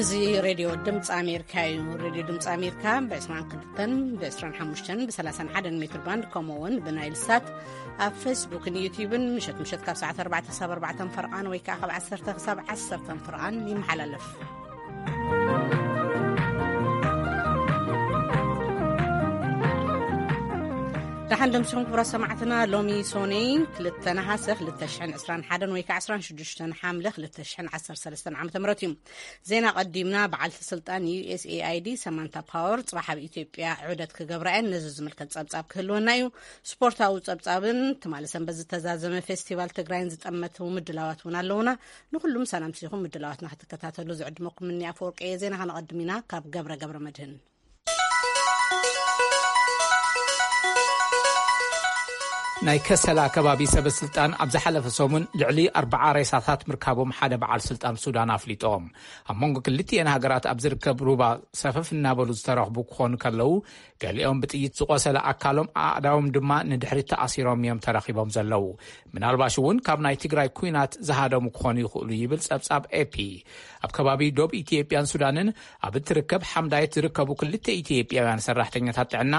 እዚ ሬድዮ ድምፂ ኣሜሪካ እዩ። ሬድዮ ድምፂ ኣሜሪካ ብ22፣ ብ25፣ ብ31 ሜትር ባንድ፣ ከምኡ እውን ብናይል ሳት ኣብ ፌስቡክን ዩቲዩብን ምሸት ምሸት ካብ ሰዓት ኣርባዕተ ክሳብ ኣርባዕተ ፈርቓን ወይ ከዓ ካብ ዓሰርተ ክሳብ ዓሰርተ ፈርቓን ይመሓላለፍ። ደሓን ደምሲኹም ክቡራት ሰማዕትና። ሎሚ ሶኔ ክልተ ነሓሰ ክልተ ሽሕን ዕስራን ሓደን ወይ ከዓ ዕስራን ሽዱሽተን ሓምለ ክልተ ሽሕን ዓሰርተ ሰለስተን ዓመተ ምህረት እዩ። ዜና ቀዲምና። በዓልቲ ስልጣን ዩ ኤስ ኤ ኣይ ዲ ሰማንታ ፓወር ጽባሕ ኣብ ኢትዮጵያ ዑደት ክገብራ እየን። ነዚ ዝምልከት ጸብጻብ ክህልወና እዩ። ስፖርታዊ ጸብጻብን ትማሊ ሰንበት ዝተዛዘመ ፌስቲቫል ትግራይን ዝጠመቱ ምድላዋት እውን ኣለውና። ንኹሉም ሰላም ሲኹም ምድላዋትና ክትከታተሉ ዝዕድመኩም እኒ ኣፈወርቂ እየ። ዜና ከነቐድም ኢና ካብ ገብረ ገብረ መድህን። ናይ ከሰላ ከባቢ ሰበ ስልጣን ኣብ ዝሓለፈ ሰሙን ልዕሊ ኣርባዓ ሬሳታት ምርካቦም ሓደ በዓል ስልጣን ሱዳን ኣፍሊጦም። ኣብ መንጎ ክልቲኤን ሃገራት ኣብ ዝርከብ ሩባ ሰፈፍ እናበሉ ዝተረኽቡ ክኾኑ ከለዉ፣ ገሊኦም ብጥይት ዝቆሰለ ኣካሎም፣ ኣእዳዎም ድማ ንድሕሪት ተኣሲሮም እዮም ተረኺቦም ዘለዉ። ምናልባሽ እውን ካብ ናይ ትግራይ ኩናት ዝሃደሙ ክኾኑ ይኽእሉ ይብል ጸብጻብ ኤ ፒ። ኣብ ከባቢ ዶብ ኢትዮጵያን ሱዳንን ኣብ እትርከብ ሓምዳየት ዝርከቡ ክልተ ኢትዮጵያውያን ሰራሕተኛታት ጥዕና፣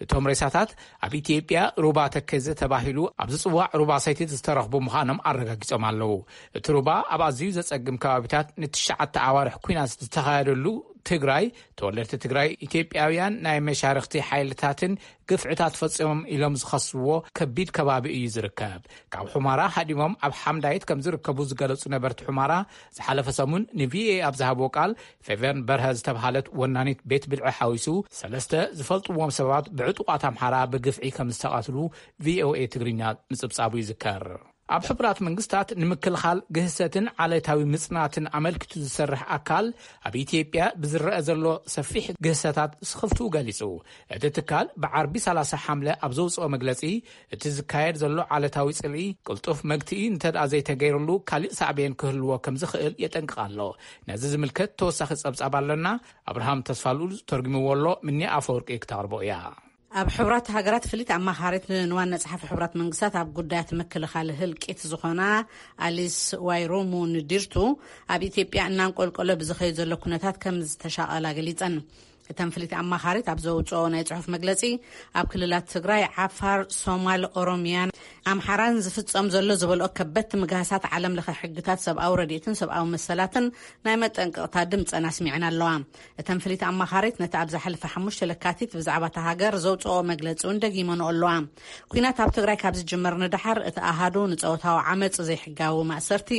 እቶም ሬሳታት ኣብ ኢትዮጵያ ሩባ ተከዘ ተባሂሉ ኣብ ዝጽዋዕ ሩባ ሰቲት ዝተረኽቡ ምዃኖም ኣረጋጊጾም ኣለዉ። እቲ ሩባ ኣብ ኣዝዩ ዘጸግም ከባቢታት ንትሽዓተ ኣዋርሕ ኩናት ዝተኻየደሉ ትግራይ፣ ተወለድቲ ትግራይ ኢትዮጵያውያን ናይ መሻርኽቲ ሓይልታትን ግፍዕታት ፈጺሞም ኢሎም ዝኸስዎ ከቢድ ከባቢ እዩ ዝርከብ። ካብ ሑማራ ሃዲሞም ኣብ ሓምዳይት ከም ዝርከቡ ዝገለጹ ነበርቲ ሑማራ፣ ዝሓለፈ ሰሙን ን ቪ ኦ ኤ ኣብ ዝሃብዎ ቃል፣ ፌቨን በርሀ ዝተብሃለት ወናኒት ቤት ብልዒ ሓዊሱ ሰለስተ ዝፈልጥዎም ሰባት ብዕጡቓት ኣምሓራ ብግፍዒ ከም ዝተቐትሉ ቪ ኦ ኤ ትግርኛ ምጽብጻቡ ይዝከር። ኣብ ሕቡራት መንግስታት ንምክልኻል ግህሰትን ዓሌታዊ ምጽናትን ኣመልኪቱ ዝሰርሕ ኣካል፣ ኣብ ኢትዮጵያ ብዝረአ ዘሎ ሰፊሕ ግህሰታት ስኽፍትኡ ገሊጹ። እቲ ትካል ብዓርቢ ሰላሳ ሓምለ ኣብ ዘውጽኦ መግለጺ፣ እቲ ዝካየድ ዘሎ ዓሌታዊ ጽልኢ ቅልጡፍ መግትኢ እንተደኣ ዘይተገይርሉ፣ ካሊእ ሳዕቤን ክህልዎ ከም ዝኽእል የጠንቅቕ ኣሎ። ነዚ ዝምልከት ተወሳኺ ጸብጻብ ኣለና። ኣብርሃም ተስፋልኡል ተርጉምዎ ኣሎ። ምኒ ኣፈወርቂ ክተቕርቦ እያ። ኣብ ሕቡራት ሃገራት ፍሊት ኣማኻሪት ንዋና ጸሓፊ ሕቡራት መንግስታት ኣብ ጉዳያት ምክልኻል ህልቂት ዝኾና ኣሊስ ዋይሮሙ ንዲርቱ፣ ኣብ ኢትዮጵያ እናንቆልቆለ ብዝኸይ ዘሎ ኩነታት ከም ዝተሻቐላ ገሊጸን። እተን ፍሊት ኣማኻሪት ኣብ ዘውፅኦ ናይ ጽሑፍ መግለጺ፣ ኣብ ክልላት ትግራይ፣ ዓፋር፣ ሶማል፣ ኦሮሚያን ኣምሓራን ዝፍጸም ዘሎ ዝበልኦ ከበድቲ ምግሃሳት ዓለም ለኸ ሕግታት ሰብኣዊ ረድኤትን ሰብኣዊ መሰላትን ናይ መጠንቀቕታ ድምጸን ኣስሚዐን ኣለዋ። እተን ፍሊት ኣማኻሪት ነቲ ኣብ ዝሓለፈ ሓሙሽተ ለካቲት ብዛዕባ እታ ሃገር ዘውፅኦ መግለጺ እውን ደጊመንኦ ኣለዋ። ኲናት ኣብ ትግራይ ካብ ዝጅመር ንደሓር እቲ ኣሃዱ ንጸወታዊ ዓመጽ፣ ዘይሕጋዊ ማእሰርቲ፣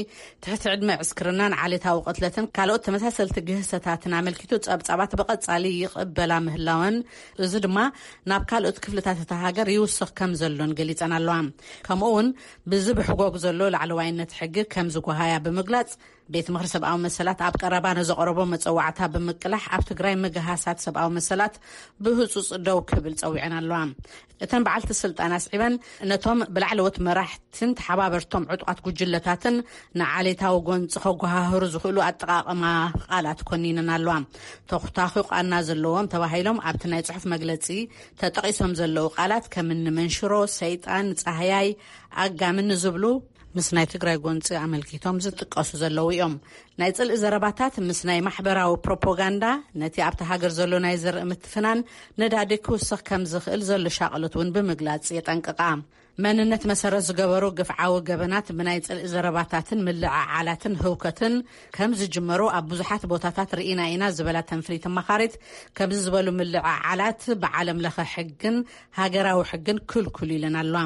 ትሕቲ ዕድመ ዕስክርናን ዓሌታዊ ቅትለትን ካልኦት ተመሳሰልቲ ግህሰታትን ኣመልኪቱ ጸብጻባት ብቐጻሊ ይቕበላ ምህላወን፣ እዚ ድማ ናብ ካልኦት ክፍልታት እታ ሃገር ይውስኽ ከም ዘሎን ገሊጸን ኣለዋ። ከምኡ እውን ብዚ ብሕጎግ ዘሎ ላዕለዋይነት ሕጊ ከም ዝጓሃያ ብምግላጽ፣ ቤት ምኽሪ ሰብኣዊ መሰላት ኣብ ቀረባ ንዘቕረቦ መጸዋዕታ ብምቅላሕ፣ ኣብ ትግራይ ምግሃሳት ሰብኣዊ መሰላት ብህጹጽ ደው ክብል ጸዊዐን ኣለዋ። እተን በዓልቲ ስልጣን ኣስዒበን፣ ነቶም ብላዕለዎት መራሕትን ተሓባበርቶም ዕጡቓት ጉጅለታትን ንዓሌታዊ ጎንጺ ከጓሃህሩ ዝኽእሉ ኣጠቓቕማ ቃላት ኮኒነን ኣለዋ። ተኹታኺ ቃና ዘለዎም ተባሂሎም ኣብቲ ናይ ጽሑፍ መግለጺ ተጠቒሶም ዘለዉ ቃላት፣ ከምኒ መንሽሮ፣ ሰይጣን፣ ጻህያይ፣ ኣጋምን ዝብሉ፣ ምስ ናይ ትግራይ ጎንጺ ኣመልኪቶም ዝጥቀሱ ዘለዉ እዮም። ናይ ጽልኢ ዘረባታት ምስ ናይ ማሕበራዊ ፕሮፓጋንዳ፣ ነቲ ኣብቲ ሃገር ዘሎ ናይ ዘርኢ ምትፍናን ነዳዲ ክውስኽ ከም ዝኽእል ዘሎ ሻቕሎት እውን ብምግላጽ የጠንቅቓ። መንነት መሰረት ዝገበሩ ግፍዓዊ ገበናት ብናይ ጽልኢ ዘረባታትን ምልዕዓላትን ህውከትን ከም ዝጅመሩ ኣብ ብዙሓት ቦታታት ርኢና ኢና ዝበላ ተንፍሊት ኣማኻሪት፣ ከምዚ ዝበሉ ምልዕዓላት ብዓለም ለኸ ሕግን ሃገራዊ ሕግን ክልኩል ኢለን ኣለዋ።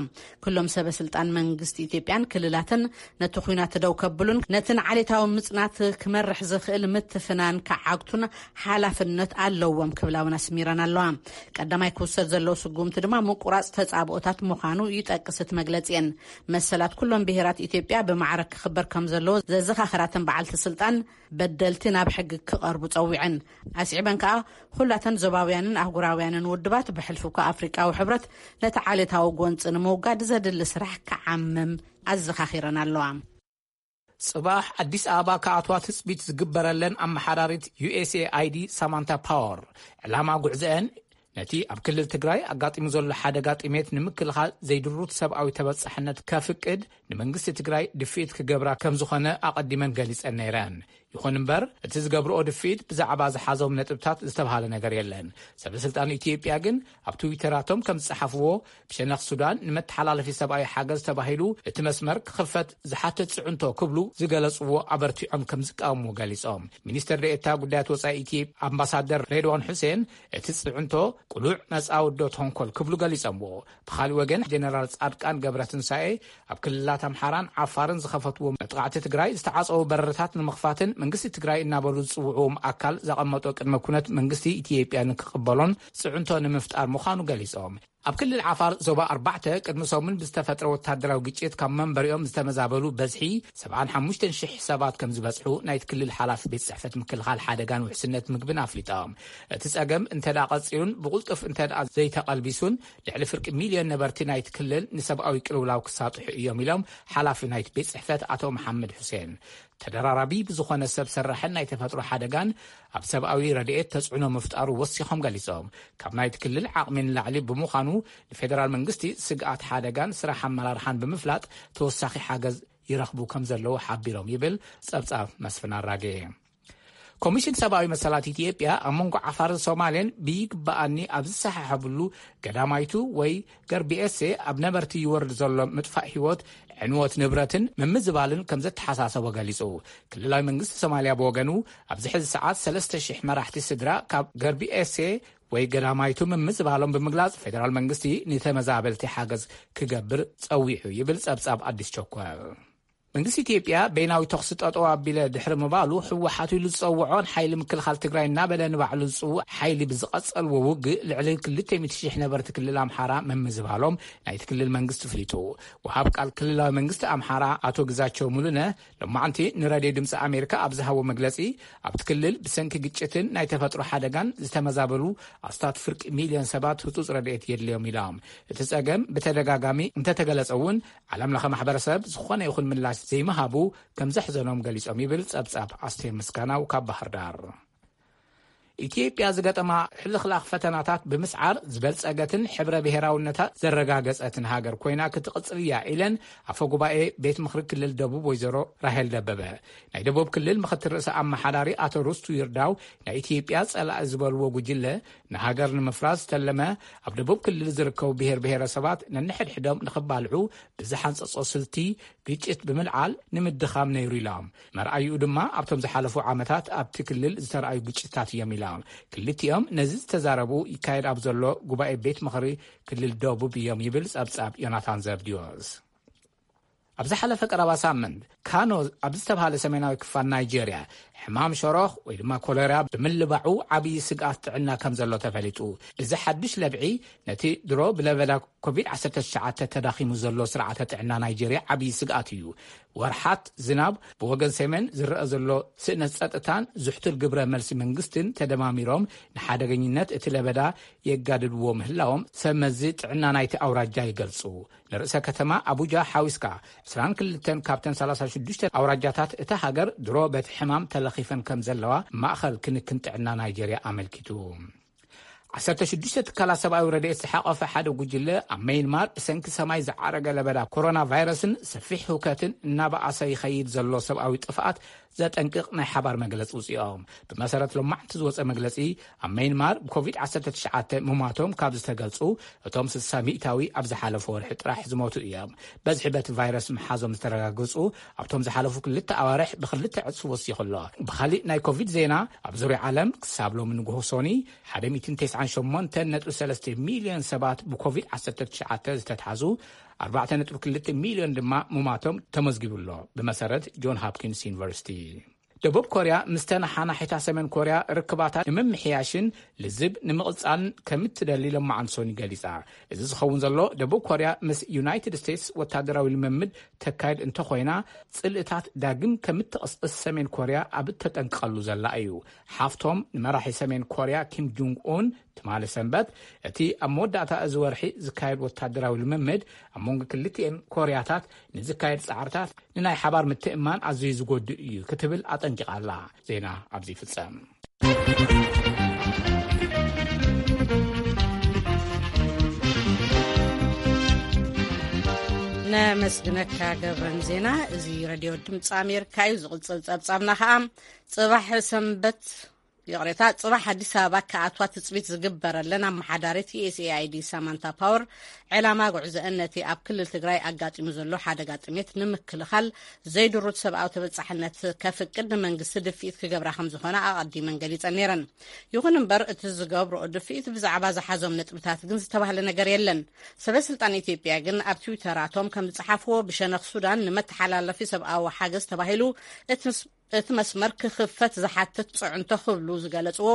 ኩሎም ሰበ ስልጣን መንግስቲ ኢትዮጵያን ክልላትን ነቲ ኲናት ደው ከብሉን ነቲ ንዓሌታዊ ምጽናት ክመርሕ ዝኽእል ምትፍናን ክዓግቱን ሓላፍነት ኣለዎም ክብላ እውን ኣስሚረን ኣለዋ። ቀዳማይ ክውሰድ ዘለዎ ስጉምቲ ድማ ምቁራጽ ተጻብኦታት ምዃኑ ይጠቅስ እቲ መግለጺአን። መሰላት ኩሎም ብሄራት ኢትዮጵያ ብማዕረ ክኽበር ከም ዘለዎ ዘዘኻኸራተን በዓልቲ ስልጣን፣ በደልቲ ናብ ሕጊ ክቐርቡ ጸዊዐን። ኣስዒበን ከኣ፣ ኩላተን ዞባውያንን ኣህጉራውያንን ውድባት፣ ብሕልፊ እኳ ኣፍሪቃዊ ሕብረት፣ ነቲ ዓሌታዊ ጎንጺ ንምውጋድ ዘድሊ ስራሕ ክዓምም ኣዘኻኺረን ኣለዋ። ጽባሕ ኣዲስ ኣበባ ክኣትዋ ትጽቢት ዝግበረለን ኣመሓዳሪት ዩ ኤስ ኤ ኣይ ዲ ሳማንታ ፓወር፣ ዕላማ ጉዕዘአን ነቲ ኣብ ክልል ትግራይ ኣጋጢሙ ዘሎ ሓደጋ ጥሜት ንምክልኻል ዘይድሩት ሰብኣዊ ተበጻሕነት ከፍቅድ ንመንግስቲ ትግራይ ድፍኢት ክገብራ ከም ዝኾነ ኣቐዲመን ገሊጸን ነይረን። ይኹን እምበር፣ እቲ ዝገብርኦ ድፍኢት ብዛዕባ ዝሓዞም ነጥብታት ዝተብሃለ ነገር የለን። ሰበ ስልጣን ኢትዮጵያ ግን ኣብ ትዊተራቶም ከም ዝጸሓፍዎ፣ ብሸነኽ ሱዳን ንመተሓላለፊ ሰብኣዊ ሓገዝ ተባሂሉ እቲ መስመር ክኽፈት ዝሓትት ጽዕንቶ ክብሉ ዝገለጽዎ ኣበርቲዖም ከም ዝቃወምዎ ገሊጾም። ሚኒስትር ዴኤታ ጉዳያት ወጻኢ ኢትዮጵያ ኣምባሳደር ሬድዋን ሑሴን፣ እቲ ጽዕንቶ ቅሉዕ መጻወድዶ ተንኮል ክብሉ ገሊጾምዎ። ብኻልእ ወገን፣ ጀነራል ጻድቃን ገብረትንሳኤ ኣብ ክልላት ኣምሓራን ዓፋርን ዝኸፈትዎ መጥቃዕቲ ትግራይ ዝተዓጸዉ በረራታት ንምኽፋትን መንግስቲ ትግራይ እናበሉ ዝጽውዕዎም ኣካል ዘቐመጦ ቅድመ ኩነት መንግስቲ ኢትዮጵያ ንክቕበሎን ጽዕንቶ ንምፍጣር ምዃኑ ገሊጾም። ኣብ ክልል ዓፋር ዞባ ኣርባዕተ ቅድሚ ሰሙን ብዝተፈጥረ ወታደራዊ ግጭት ካብ መንበሪኦም ዝተመዛበሉ በዝሒ ሰብዓን ሓሙሽተን ሽሕ ሰባት ከም ዝበጽሑ ናይቲ ክልል ሓላፊ ቤት ጽሕፈት ምክልኻል ሓደጋን ውሕስነት ምግብን ኣፍሊጦም። እቲ ጸገም እንተ ደኣ ቀጺሉን ብቕልጡፍ እንተ ደኣ ዘይተቐልቢሱን፣ ልዕሊ ፍርቂ ሚልዮን ነበርቲ ናይቲ ክልል ንሰብኣዊ ቅልውላው ክሳጥሑ እዮም ኢሎም ሓላፊ ናይቲ ቤት ጽሕፈት ኣቶ መሓመድ ሑሴን። ተደራራቢ ብዝኾነ ሰብ ሰራሕን ናይ ተፈጥሮ ሓደጋን ኣብ ሰብኣዊ ረድኤት ተጽዕኖ ምፍጣሩ ወሲኾም ገሊጾም። ካብ ናይቲ ክልል ዓቕሚ ንላዕሊ ብምዃኑ፣ ንፌደራል መንግስቲ ስግኣት ሓደጋን ስራሕ ኣመራርሓን ብምፍላጥ ተወሳኺ ሓገዝ ይረኽቡ ከም ዘለዉ ሓቢሮም ይብል ጸብጻብ መስፍን ኣራጌ። ኮሚሽን ሰብኣዊ መሰላት ኢትዮጵያ ኣብ መንጎ ዓፋርን ሶማሌን ብይግባኣኒ ኣብ ዝሰሓሓብሉ ገዳማይቱ ወይ ገርቢኤሴ ኣብ ነበርቲ ይወርድ ዘሎ ምጥፋእ ህይወት፣ ዕንወት ንብረትን ምምዝባልን ከም ዘተሓሳሰቦ ገሊጹ። ክልላዊ መንግስቲ ሶማልያ ብወገኑ፣ ኣብዚ ሕዚ ሰዓት ሰለስተ ሽሕ መራሕቲ ስድራ ካብ ገርቢኤሴ ወይ ገዳማይቱ ምምዝባሎም ብምግላጽ፣ ፌደራል መንግስቲ ንተመዛበልቲ ሓገዝ ክገብር ጸዊዑ ይብል ጸብጻብ ኣዲስ ቸኮል። መንግስቲ ኢትዮጵያ በይናዊ ተኹሲ ጠጠው ኣቢለ ድሕሪ ምባሉ፣ ህወሓት ኢሉ ዝጸውዖን ሓይሊ ምክልኻል ትግራይ እናበለ ንባዕሉ ዝጽውዕ ሓይሊ ብዝቐጸልዎ ውግእ ልዕሊ ክልተ ሚእቲ ሽሕ ነበርቲ ክልል ኣምሓራ ምምዝባሎም ናይቲ ክልል መንግስቲ ኣፍሊጡ። ወሃብ ቃል ክልላዊ መንግስቲ ኣምሓራ ኣቶ ግዛቸው ሙሉነ ሎማዕንቲ ንራድዮ ድምፂ ኣሜሪካ ኣብ ዝሃቦ መግለፂ፣ ኣብቲ ክልል ብሰንኪ ግጭትን ናይ ተፈጥሮ ሓደጋን ዝተመዛበሉ ኣስታት ፍርቂ ሚልዮን ሰባት ህጹጽ ረድኤት የድልዮም ኢሎም። እቲ ጸገም ብተደጋጋሚ እንተተገለጸ እውን፣ ዓለም ለኸ ማሕበረሰብ ዝኾነ ይኹን ምላሽ ዘይምሃቡ ከም ዘሕዘኖም ገሊጾም ይብል ጸብጻብ ኣስቴር ምስጋናው ካብ ባህር ዳር። ኢትዮጵያ ዝገጠማ ሕልኽላኽ ፈተናታት ብምስዓር ዝበልጸገትን ሕብረ ብሔራውነታ ዘረጋገጸትን ሃገር ኮይና ክትቕጽል እያ ኢለን ኣፈ ጉባኤ ቤት ምኽሪ ክልል ደቡብ ወይዘሮ ራሄል ደበበ። ናይ ደቡብ ክልል ምኽትል ርእሰ ኣመሓዳሪ ኣቶ ርስቱ ይርዳው፣ ናይ ኢትዮጵያ ጸላኢ ዝበልዎ ጉጅለ ንሃገር ንምፍራስ ዝተለመ፣ ኣብ ደቡብ ክልል ዝርከቡ ብሔር ብሔረሰባት ነንሕድሕዶም ንኽባልዑ ብዝሓንጸጾ ስልቲ ግጭት ብምልዓል ንምድኻም ነይሩ ኢሎም። መርኣይኡ ድማ ኣብቶም ዝሓለፉ ዓመታት ኣብቲ ክልል ዝተረኣዩ ግጭታት እዮም ኢሎም። ክልቲኦም ነዚ ዝተዛረቡ ይካየድ ኣብ ዘሎ ጉባኤ ቤት ምኽሪ ክልል ደቡብ እዮም ይብል ጸብጻብ ዮናታን ዘብድዮስ። ኣብ ዝሓለፈ ቀረባ ሳምንት ካኖ ኣብ ዝተባሃለ ሰሜናዊ ክፋል ናይጄርያ ሕማም ሸሮኽ ወይ ድማ ኮሌራ ብምልባዑ ዓብዪ ስግኣት ጥዕና ከም ዘሎ ተፈሊጡ። እዚ ሓድሽ ለብዒ ነቲ ድሮ ብለበዳ ኮቪድ ዓሰርተ ትሽዓተ ተዳኺሙ ዘሎ ስርዓተ ጥዕና ናይጄርያ ዓብዪ ስግኣት እዩ። ወርሓት ዝናብ፣ ብወገን ሰሜን ዝረአ ዘሎ ስእነት ጸጥታን ዝሕቱል ግብረ መልሲ መንግስትን ተደማሚሮም ንሓደገኝነት እቲ ለበዳ የጋድድዎ ምህላዎም ሰብ መዚ ጥዕና ናይቲ ኣውራጃ ይገልጹ። ንርእሰ ከተማ ኣቡጃ ሓዊስካ ዕስራን ክልተን ካብተን ሰላሳ ሽዱሽተ ኣውራጃታት እታ ሃገር ድሮ በቲ ሕማም ተለኺፈን ከም ዘለዋ ማእኸል ክንክን ጥዕና ናይጄርያ ኣመልኪቱ። ዓሰርተ ሽዱሽተ ትካላት ሰብኣዊ ረድኤት ዝሓቐፈ ሓደ ጉጅለ ኣብ መይንማር ብሰንኪ ሰማይ ዝዓረገ ለበዳ ኮሮና ቫይረስን ሰፊሕ ህውከትን እናበኣሰ ይኸይድ ዘሎ ሰብኣዊ ጥፍኣት ዘጠንቅቕ ናይ ሓባር መግለጺ ውፅኦም። ብመሰረት ሎማዕንቲ ዝወፀ መግለፂ፣ ኣብ መይንማር ብኮቪድ ዓሰርተ ትሽዓተ ምሟቶም ካብ ዝተገልፁ፣ እቶም ስሳ ሚእታዊ ኣብ ዝሓለፈ ወርሒ ጥራሕ ዝሞቱ እዮም። በዝሒ በቲ ቫይረስ ምሓዞም ዝተረጋገፁ ኣብቶም ዝሓለፉ ክልተ ኣዋርሕ ብክልተ ዕፅፊ ወሲኹ ኣሎ። ብኻሊእ ናይ ኮቪድ ዜና፣ ኣብ ዙርያ ዓለም ክሳብ ሎሚ ንግሆ ሶኒ ሓደ ሚእትን ተስዓን ሸሞንተን ነጥቢ ሰለስተ ሚልዮን ሰባት ብኮቪድ ዓሰርተ ትሽዓተ ዝተትሓዙ፣ ኣርባዕተ ነጥቢ ክልተ ሚልዮን ድማ ምማቶም ተመዝጊቡ ኣሎ፣ ብመሰረት ጆን ሃፕኪንስ ዩኒቨርሲቲ። ደቡብ ኮርያ ምስ ተነሓናሒታ ሰሜን ኮርያ ርክባታ ንምምሕያሽን ልዝብ ንምቕጻልን ከምትደሊ ሎማዓንቲ ሶኒ ገሊጻ። እዚ ዝኸውን ዘሎ፣ ደቡብ ኮርያ ምስ ዩናይትድ ስቴትስ ወታደራዊ ልምምድ ተካይድ እንተኾይና፣ ጽልእታት ዳግም ከምትቕስቅስ ሰሜን ኮርያ ኣብ እተጠንቅቐሉ ዘላ እዩ። ሓፍቶም ንመራሒ ሰሜን ኮርያ ኪም ጁንግ ኡን ትማሊ ሰንበት፣ እቲ ኣብ መወዳእታ እዚ ወርሒ ዝካየድ ወታደራዊ ልምምድ ኣብ መንጎ ክልቲኤን ኮርያታት ንዝካየድ ጻዕርታት ንናይ ሓባር ምትእምማን ኣዝዩ ዝጎድእ እዩ ክትብል ኣጠንቂቓ ኣላ። ዜና ኣብዚ ይፍጸም። ነመስግነካ ገብረን ዜና። እዚ ሬድዮ ድምፂ ኣሜሪካ እዩ። ዝቕፅል ፀብፃብና ከዓ ፅባሕ ሰንበት፣ ይቕሬታ፣ ፅባሕ ኣዲስ ኣበባ ክኣትዋ ትፅቢት ዝግበረለን ኣመሓዳሪት ዩኤስኤኣይዲ ሳማንታ ፓወር፣ ዕላማ ጉዕዘአን ነቲ ኣብ ክልል ትግራይ ኣጋጢሙ ዘሎ ሓደጋ ጥሜት ንምክልኻል ዘይድሩት ሰብኣዊ ተበፃሕነት ከፍቅድ ንመንግስቲ ድፍኢት ክገብራ ከም ዝኾነ ኣቐዲመን ገሊፀን ነይረን። ይኹን እምበር እቲ ዝገብርኦ ድፍኢት ብዛዕባ ዝሓዞም ነጥብታት ግን ዝተባህለ ነገር የለን። ሰበ ስልጣን ኢትዮጵያ ግን ኣብ ትዊተራቶም ከም ዝፀሓፍዎ፣ ብሸነኽ ሱዳን ንመተሓላለፊ ሰብኣዊ ሓገዝ ተባሂሉ እቲ እቲ መስመር ክኽፈት ዝሓትት ፅዕንቶ ክብሉ ዝገለፅዎ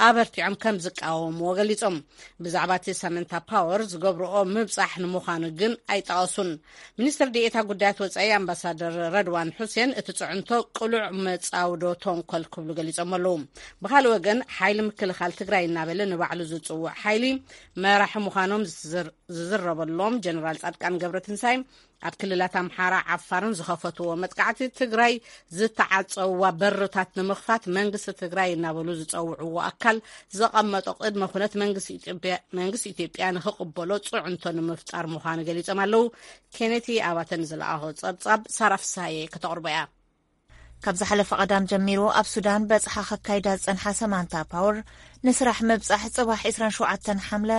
ኣበርቲዖም ከም ዝቃወምዎ ገሊፆም። ብዛዕባ እቲ ሳማንታ ፓወር ዝገብርኦ ምብፃሕ ንምዃኑ ግን ኣይጠቐሱን። ሚኒስትር ዴኤታ ጉዳያት ወፃኢ ኣምባሳደር ረድዋን ሑሴን እቲ ፅዕንቶ ቅሉዕ መፃውዶ ተንኮል ክብሉ ገሊፆም ኣለዉ። ብኻልእ ወገን ሓይሊ ምክልኻል ትግራይ እናበለ ንባዕሉ ዝፅውዕ ሓይሊ መራሒ ምዃኖም ዝዝር- ዝዝረበሎም ጀነራል ፃድቃን ገብረትንሳኤ ኣብ ክልላት ኣምሓራ ዓፋርን ዝኸፈትዎ መጥቃዕቲ ትግራይ ዝተዓፀዋ በርታት ንምኽፋት መንግስቲ ትግራይ እናበሉ ዝፀውዕዎ ኣካል ዘቐመጦ ቅድመ ኩነት መንግስቲ ኢትዮጵያ ንክቕበሎ ፅዕንቶ ንምፍጣር ምዃኑ ገሊፆም ኣለዉ። ኬኔቲ ኣባተ ንዝለኣኾ ፀብፃብ ሳራ ፍሳየ ከተቕርቦ እያ። ካብ ዝሓለፈ ቀዳም ጀሚሩ ኣብ ሱዳን በጽሓ ከካይዳ ዝጸንሓ ሰማንታ ፓወር፣ ንስራሕ ምብጻሕ ጽባሕ ዕስራን ሸውዓተን ሓምለ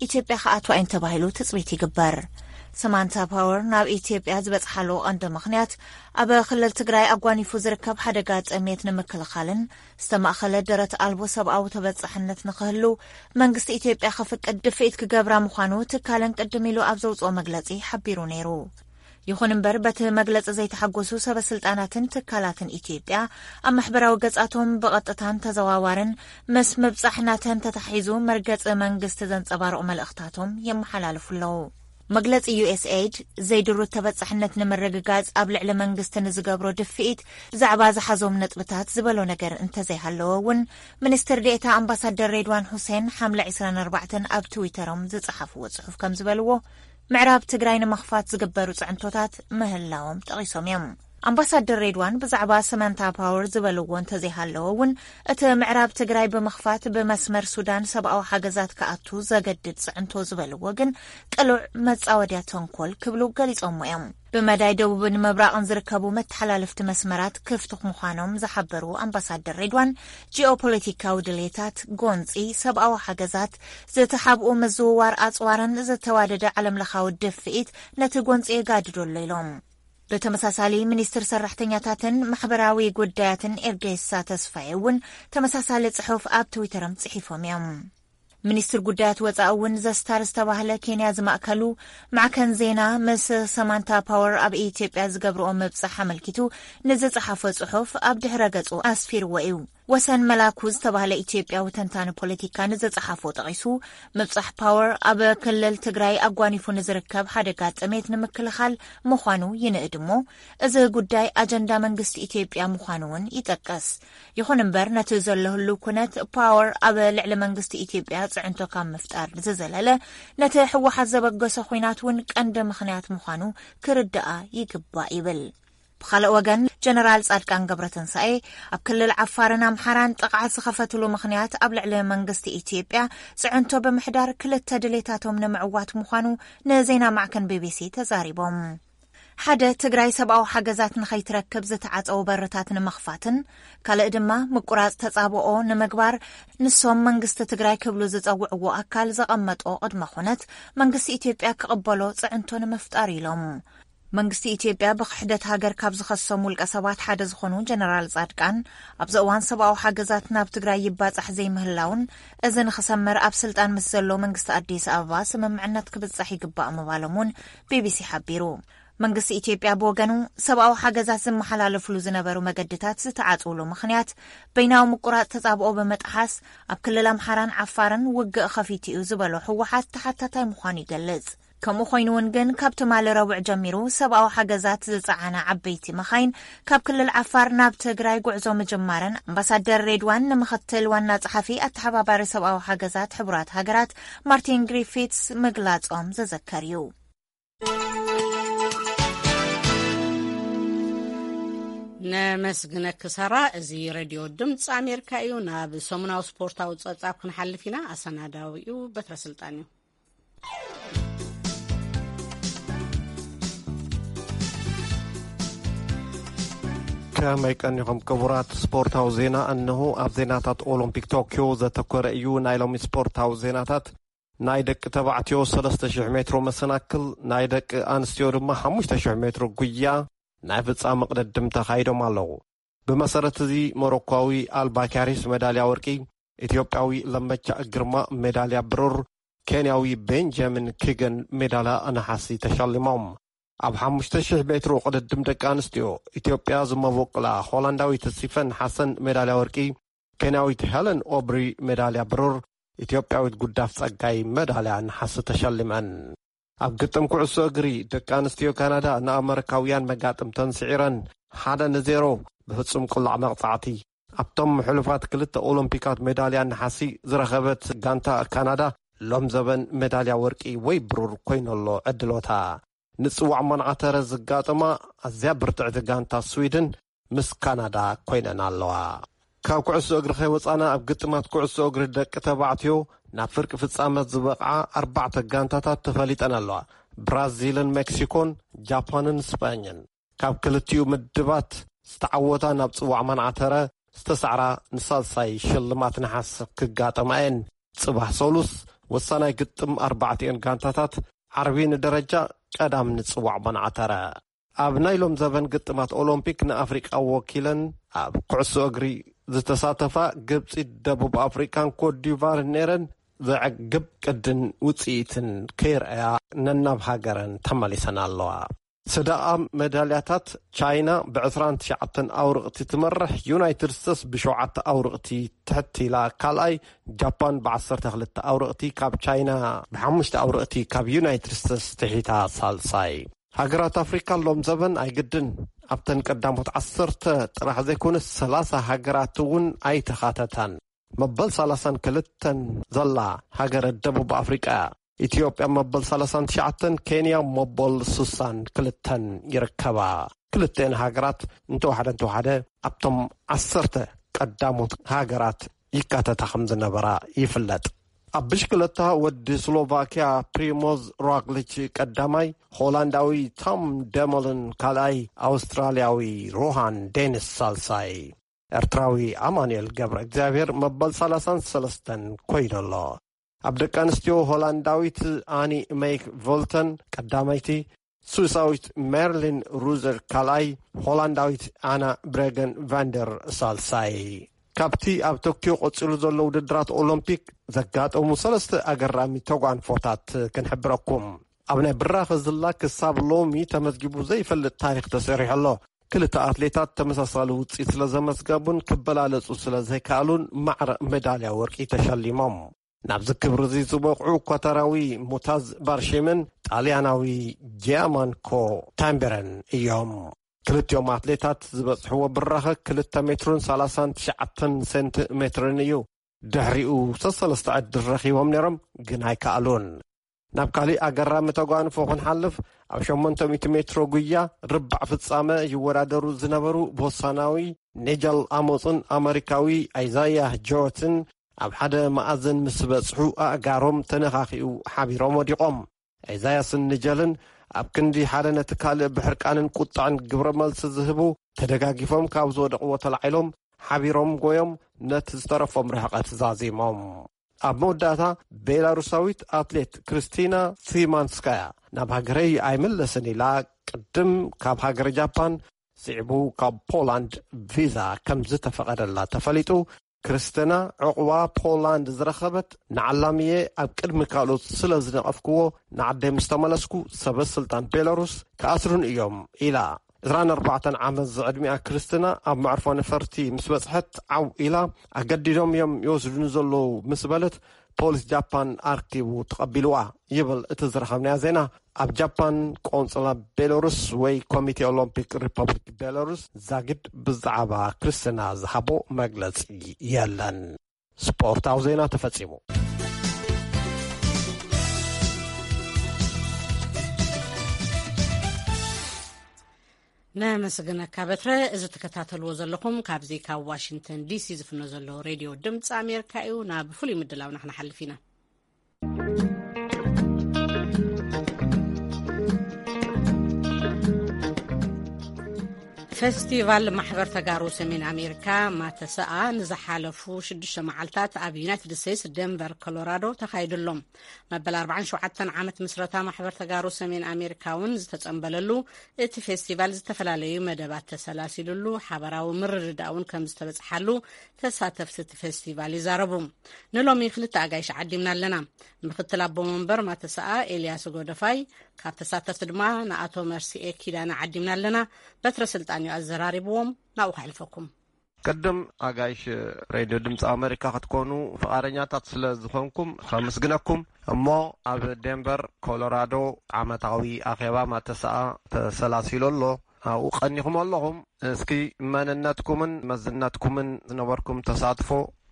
ኢትዮጵያ ክኣትዋ እየን ተባሂሉ ትጽቢት ይግበር። ሰማንታ ፓወር ናብ ኢትዮጵያ ዝበጽሓሉ ቀንዲ ምኽንያት፣ ኣብ ክልል ትግራይ ኣጓኒፉ ዝርከብ ሓደጋ ጥሜት ንምክልኻልን ዝተማእኸለ ደረት ኣልቦ ሰብኣዊ ተበጻሕነት ንኽህሉ መንግስቲ ኢትዮጵያ ከፍቅድ ድፍኢት ክገብራ ምዃኑ ትካለን ቅድም ኢሉ ኣብ ዘውጽኦ መግለጺ ሓቢሩ ነይሩ። ይኹን እምበር፣ በቲ መግለጺ ዘይተሓጎሱ ሰበ ስልጣናትን ትካላትን ኢትዮጵያ፣ ኣብ ማሕበራዊ ገጻቶም ብቐጥታን ተዘዋዋርን ምስ ምብጻሕ ናተን ተታሒዙ መርገጺ መንግስቲ ዘንጸባርቑ መልእኽታቶም የመሓላልፉ ኣለዉ። መግለጺ ዩኤስኤይድ፣ ዘይድሩት ተበጻሕነት ንምርግጋጽ ኣብ ልዕሊ መንግስቲ ንዝገብሮ ድፍኢት ብዛዕባ ዝሓዞም ነጥብታት ዝበሎ ነገር እንተዘይሃለወ እውን፣ ሚኒስትር ዴኤታ ኣምባሳደር ሬድዋን ሁሴን ሓምለ ዕስራን ኣርባዕተን ኣብ ትዊተሮም ዝጸሓፍዎ ጽሑፍ ከም ዝበልዎ፣ ምዕራብ ትግራይ ንምኽፋት ዝግበሩ ጽዕንቶታት ምህላዎም ጠቒሶም እዮም። ኣምባሳደር ሬድዋን ብዛዕባ ሰማንታ ፓወር ዝበልዎ እንተዘይሃለወ እውን፣ እቲ ምዕራብ ትግራይ ብምኽፋት ብመስመር ሱዳን ሰብኣዊ ሓገዛት ክኣቱ ዘገድድ ጽዕንቶ ዝበልዎ ግን ቅሉዕ መጻወድያ ተንኮል ክብሉ ገሊጾሞ እዮም። ብመዳይ ደቡብን ምብራቕን ዝርከቡ መተሓላለፍቲ መስመራት ክፍቲ ምዃኖም ዝሓበሩ ኣምባሳደር ሬድዋን፣ ጂኦፖለቲካዊ ድሌታት፣ ጎንጺ፣ ሰብኣዊ ሓገዛት፣ ዝተሓብኡ ምዝውዋር ኣጽዋርን ዝተዋደደ ዓለምለኻዊ ድፍኢት ነቲ ጎንጺ የጋድዶ ኣሎ ኢሎም። ብተመሳሳሊ፣ ሚኒስትር ሰራሕተኛታትን ማሕበራዊ ጉዳያትን ኤርጌሳ ተስፋዬ እውን ተመሳሳሊ ጽሑፍ ኣብ ትዊተሮም ጽሒፎም እዮም። ሚኒስትር ጉዳያት ወጻኢ እውን ዘስታር ዝተባህለ ኬንያ ዝማእከሉ ማዕከን ዜና ምስ ሰማንታ ፓወር ኣብ ኢትዮጵያ ዝገብርኦ ምብጻሕ ኣመልኪቱ ንዝጸሓፎ ጽሑፍ ኣብ ድሕረ ገጹ ኣስፊርዎ እዩ። ወሰን መላኩ ዝተባህለ ኢትዮጵያዊ ተንታኒ ፖለቲካ ንዝጸሓፎ ጠቒሱ፣ ምብጻሕ ፓወር ኣብ ክልል ትግራይ ኣጓኒፉ ንዝርከብ ሓደጋ ጥሜት ንምክልኻል ምዃኑ ይንእድ እሞ፣ እዚ ጉዳይ ኣጀንዳ መንግስቲ ኢትዮጵያ ምዃኑ እውን ይጠቅስ። ይኹን እምበር፣ ነቲ ዘሎ ህሉው ኩነት ፓወር ኣብ ልዕሊ መንግስቲ ኢትዮጵያ ጽዕንቶ ካብ ምፍጣር ዝዘለለ፣ ነቲ ህወሓት ዘበገሶ ኹናት እውን ቀንዲ ምኽንያት ምዃኑ ክርዳኣ ይግባእ ይብል። ብኻልእ ወገን፣ ጀነራል ጻድቃን ገብረትንሳኤ ኣብ ክልል ዓፋርን ኣምሓራን ጥቕዓት ዝኸፈትሉ ምኽንያት ኣብ ልዕሊ መንግስቲ ኢትዮጵያ ጽዕንቶ ብምሕዳር ክልተ ድሌታቶም ንምዕዋት ምዃኑ ንዜና ማዕከን ቢቢሲ ተዛሪቦም። ሓደ፣ ትግራይ ሰብኣዊ ሓገዛት ንኸይትረክብ ዝተዓጸዉ በርታት ንምኽፋትን፣ ካልእ ድማ ምቁራጽ ተጻብኦ ንምግባር ንሶም መንግስቲ ትግራይ ክብሉ ዝጸውዕዎ ኣካል ዘቐመጦ ቅድመ ኩነት መንግስቲ ኢትዮጵያ ክቕበሎ ጽዕንቶ ንምፍጣር ኢሎም። መንግስቲ ኢትዮጵያ ብክሕደት ሃገር ካብ ዝኸሶም ውልቀ ሰባት ሓደ ዝኾኑ ጀነራል ጻድቃን፣ ኣብዚ እዋን ሰብኣዊ ሓገዛት ናብ ትግራይ ይባጻሕ ዘይምህላውን፣ እዚ ንኽሰምር ኣብ ስልጣን ምስ ዘሎ መንግስቲ ኣዲስ ኣበባ ስምምዕነት ክብጻሕ ይግባእ ምባሎም እውን ቢቢሲ ሓቢሩ። መንግስቲ ኢትዮጵያ ብወገኑ፣ ሰብኣዊ ሓገዛት ዝመሓላለፍሉ ዝነበሩ መገድታት ዝተዓጽውሉ ምኽንያት፣ በይናዊ ምቁራጽ ተጻብኦ ብምጥሓስ፣ ኣብ ክልል ኣምሓራን ዓፋርን ውግእ ኸፊቱ እዩ ዝበሎ ህወሓት ተሓታታይ ምዃኑ ይገልጽ። ከምኡ ኮይኑ እውን ግን፣ ካብ ትማሊ ረቡዕ ጀሚሩ ሰብኣዊ ሓገዛት ዝጸዓና ዓበይቲ መኻይን ካብ ክልል ዓፋር ናብ ትግራይ ጉዕዞ ምጅማረን ኣምባሳደር ሬድዋን ንምኽትል ዋና ጸሓፊ ኣተሓባባሪ ሰብኣዊ ሓገዛት ሕቡራት ሃገራት ማርቲን ግሪፊትስ ምግላጾም ዝዝከር እዩ። ነመስግነኪ ሳራ። እዚ ሬድዮ ድምፂ ኣሜሪካ እዩ። ናብ ሰሙናዊ ስፖርታዊ ፀብፃብ ክንሓልፍ ኢና። ኣሰናዳዊኡ በትረ ስልጣን እዩ። ከመይ ቀኒኹም ክቡራት? ስፖርታዊ ዜና እነሆ። ኣብ ዜናታት ኦሎምፒክ ቶክዮ ዘተኮረ እዩ ናይ ሎሚ ስፖርታዊ ዜናታት። ናይ ደቂ ተባዕትዮ ሰለስተ ሽሕ ሜትሮ መሰናክል፣ ናይ ደቂ ኣንስትዮ ድማ ሓሙሽተ ሽሕ ሜትሮ ጉያ ናይ ፍጻመ ቅድድም ተኻይዶም ኣለዉ። ብመሰረት እዚ ሞሮኳዊ ኣልባካሪስ ሜዳልያ ወርቂ፣ ኢትዮጵያዊ ለመቻ ግርማ ሜዳልያ ብሩር፣ ኬንያዊ ቤንጃሚን ኪገን ሜዳልያ ነሓሲ ተሸሊሞም። ኣብ ሓሙሽተ ሽሕ ሜትሮ ቅድድም ደቂ ኣንስትዮ ኢትዮጵያ ዝመበቆላ ሆላንዳዊት ሲፈን ሓሰን ሜዳልያ ወርቂ፣ ኬንያዊት ሄለን ኦብሪ ሜዳልያ ብሩር፣ ኢትዮጵያዊት ጉዳፍ ጸጋይ ሜዳልያ ነሓሲ ተሸሊመን። ኣብ ግጥም ኩዕሶ እግሪ ደቂ ኣንስትዮ ካናዳ ንኣመሪካውያን መጋጥምተን ስዒረን ሓደ ንዜሮ ብፍጹም ቅላዕ መቕጻዕቲ ኣብቶም ሕሉፋት ክልተ ኦሎምፒካት ሜዳልያ ነሓሲ ዝረኸበት ጋንታ ካናዳ ሎም ዘበን ሜዳልያ ወርቂ ወይ ብሩር ኮይነሎ ዕድሎታ። ንጽዋዕ ማንዓተረ ዝጋጠማ ኣዝያ ብርትዕቲ ጋንታ ስዊድን ምስ ካናዳ ኮይነን ኣለዋ። ካብ ኩዕሶ እግሪ ከይወጻና ኣብ ግጥማት ኩዕሶ እግሪ ደቂ ተባዕትዮ ናብ ፍርቂ ፍጻመ ዝበቕዓ ኣርባዕተ ጋንታታት ተፈሊጠን ኣለዋ። ብራዚልን ሜክሲኮን፣ ጃፓንን ስጳኝን። ካብ ክልቲኡ ምድባት ዝተዓወታ ናብ ጽዋዕ ማንዓተረ ዝተሳዕራ ንሳልሳይ ሽልማት ነሓስ ክጋጠማ እየን። ጽባሕ ሰሉስ ወሳናይ ግጥም ኣርባዕቲኤን ጋንታታት ዓርቢ ንደረጃ ቀዳም ንጽዋዕ ማንዓተረ። ኣብ ናይ ሎም ዘበን ግጥማት ኦሎምፒክ ንኣፍሪቃ ወኪለን ኣብ ኩዕሶ እግሪ ዝተሳተፋ ግብጺ፣ ደቡብ ኣፍሪቃን ኮትዲቫርን ነይረን ዘዕግብ ቅድን ውጽኢትን ከይረኣያ ነናብ ሃገረን ተመሊሰን ኣለዋ። ሰደቓ መዳልያታት ቻይና ብ ዕስራን ትሽዓተን ኣውርቕቲ ትመርሕ፣ ዩናይትድ ስቴትስ ብሸውዓተ ኣውርቕቲ ትሕት ኢላ ካልኣይ፣ ጃፓን ብ ዓሰርተ ክልተ ኣውርቕቲ ካብ ቻይና፣ ብ ሓሙሽተ ኣውርቕቲ ካብ ዩናይትድ ስቴትስ ትሒታ ሳልሳይ። ሃገራት ኣፍሪካ ሎም ዘበን ኣይግድን ኣብተን ቀዳሞት ዓሰርተ ጥራሕ ዘይኮነስ ሰላሳ ሃገራት እውን ኣይተኻተታን። መበል ሰላሳን ክልተን ዘላ ሃገረ ደቡብ ኣፍሪቃ እያ። ኢትዮጵያ መበል ሰላሳን ትሽዓተን፣ ኬንያ መበል ስሳን ክልተን ይርከባ። ክልተን ሃገራት እንተወሓደ እንተወሓደ ኣብቶም ዓሰርተ ቀዳሞት ሃገራት ይካተታ ከም ዝነበራ ይፍለጥ። ኣብ ብሽክለታ ወዲ ስሎቫኪያ ፕሪሞዝ ሮግሊች ቀዳማይ፣ ሆላንዳዊ ቶም ደሞልን ካልኣይ፣ ኣውስትራልያዊ ሮሃን ዴኒስ ሳልሳይ፣ ኤርትራዊ ኣማኑኤል ገብረ እግዚኣብሔር መበል ሰላሳን ሰለስተን ኮይኑ ኣሎ። ኣብ ደቂ ኣንስትዮ ሆላንዳዊት ኣኒ ሜክ ቮልተን ቀዳመይቲ፣ ስዊሳዊት ሜርሊን ሩዘር ካልኣይ፣ ሆላንዳዊት ኣና ብሬገን ቫንደር ሳልሳይ። ካብቲ ኣብ ቶክዮ ቀጺሉ ዘሎ ውድድራት ኦሎምፒክ ዘጋጠሙ ሰለስተ ኣገራሚ ተጓንፎታት ክንሕብረኩም። ኣብ ናይ ብራኸ ዝላ ክሳብ ሎሚ ተመዝጊቡ ዘይፈልጥ ታሪኽ ተሰሪሑ ኣሎ። ክልተ ኣትሌታት ተመሳሳሊ ውጽኢት ስለ ዘመዝገቡን ክበላለጹ ስለ ዘይከኣሉን ማዕረ ሜዳልያ ወርቂ ተሸሊሞም። ናብዚ ክብሪ እዚ ዝበቕዑ ኳታራዊ ሙታዝ ባርሺምን ጣልያናዊ ጂያማንኮ ታምበረን እዮም። ክልቲኦም ኣትሌታት ዝበጽሕዎ ብራኸ ክልተ ሜትርን ሰላሳን ትሽዓተን ሴንቲሜትርን እዩ። ድሕሪኡ ሰሰለስተ ዕድል ረኺቦም ነይሮም፣ ግን ኣይከኣሉን። ናብ ካሊእ ኣገራሚ ተጓንፎ ክንሓልፍ፣ ኣብ ሸሞንተ ሚእቲ ሜትሮ ጉያ ርባዕ ፍጻመ ይወዳደሩ ዝነበሩ ቦሳናዊ ኒጀል ኣሞጽን ኣመሪካዊ ኣይዛያ ጆትን ኣብ ሓደ መኣዝን ምስ በጽሑ ኣእጋሮም ተነኻኺኡ ሓቢሮም ወዲቖም። ኤዛያስን ንጀልን ኣብ ክንዲ ሓደ ነቲ ካልእ ብሕርቃንን ቁጥዐን ግብረ መልሲ ዝህቡ፣ ተደጋጊፎም ካብ ዝወደቕዎ ተላዒሎም፣ ሓቢሮም ጎዮም ነቲ ዝተረፎም ርሕቐት ዛዚሞም። ኣብ መወዳእታ፣ ቤላሩሳዊት ኣትሌት ክርስቲና ሲማንስካያ ናብ ሃገረይ ኣይምለስን ኢላ ቅድም ካብ ሃገረ ጃፓን፣ ስዒቡ ካብ ፖላንድ ቪዛ ከም ዝተፈቐደላ ተፈሊጡ። ክርስቲና ዕቑባ ፖላንድ ዝረኸበት፣ ንዓላምየ ኣብ ቅድሚ ካልኦት ስለ ዝነቐፍክዎ፣ ንዓደይ ምስ ተመለስኩ ሰበ ስልጣን ቤላሩስ ክኣስሩን እዮም ኢላ። ዕስራን ኣርባዕተን ዓመት ዝዕድሚኣ ክርስቲና ኣብ መዕርፎ ነፈርቲ ምስ በጽሐት ዓው ኢላ፣ ኣገዲዶም እዮም ይወስዱኒ ዘለዉ ምስ በለት፣ ፖሊስ ጃፓን ኣርኪቡ ተቐቢልዋ ይብል እቲ ዝረኸብናዮ ዜና። ኣብ ጃፓን ቆንጽላ ቤላሩስ ወይ ኮሚቴ ኦሎምፒክ ሪፐብሊክ ቤላሩስ ዛጊድ ብዛዕባ ክርስቲና ዝሃቦ መግለጺ የለን። ስፖርታዊ ዜና ተፈጺሙ። ነመስግነካ በትረ። እዚ ትከታተልዎ ዘለኹም ካብዚ ካብ ዋሽንግተን ዲሲ ዝፍኖ ዘሎ ሬድዮ ድምፂ ኣሜሪካ እዩ። ናብ ፍሉይ ምድላውና ክንሓልፍ ኢና። ፌስቲቫል ማሕበር ተጋሩ ሰሜን ኣሜሪካ፣ ማተሰኣ፣ ንዝሓለፉ ሽዱሽተ መዓልታት ኣብ ዩናይትድ ስቴትስ ደንቨር ኮሎራዶ ተኻይዱ ኣሎ። መበል ኣርባዓን ሸውዓተን ዓመት ምስረታ ማሕበር ተጋሩ ሰሜን ኣሜሪካ እውን ዝተጸንበለሉ፣ እቲ ፌስቲቫል ዝተፈላለዩ መደባት ተሰላሲሉሉ፣ ሓበራዊ ምርድዳእ እውን ከም ዝተበጽሓሉ ተሳተፍቲ እቲ ፌስቲቫል ይዛረቡ። ንሎሚ ክልተ ኣጋይሽ ዓዲምና ኣለና። ምክትል ኣቦ መንበር ማተሰኣ ኤልያስ ጎደፋይ፣ ካብ ተሳተፍቲ ድማ ንኣቶ መርሲኤ ኪዳነ ዓዲምና ኣለና። በትረ ስልጣን እዩ ኣዘራሪብዎም። ናብኡ ከሕልፈኩም። ቅድም ኣጋይሽ ሬድዮ ድምፂ ኣሜሪካ ክትኮኑ ፍቓደኛታት ስለ ዝኾንኩም ከመስግነኩም። እሞ ኣብ ዴንቨር ኮሎራዶ ዓመታዊ ኣኼባ ማተሰኣ ተሰላሲሉ ኣሎ። ኣብኡ ቀኒኹም ኣለኹም። እስኪ መንነትኩምን መዝነትኩምን ዝነበርኩም ተሳትፎ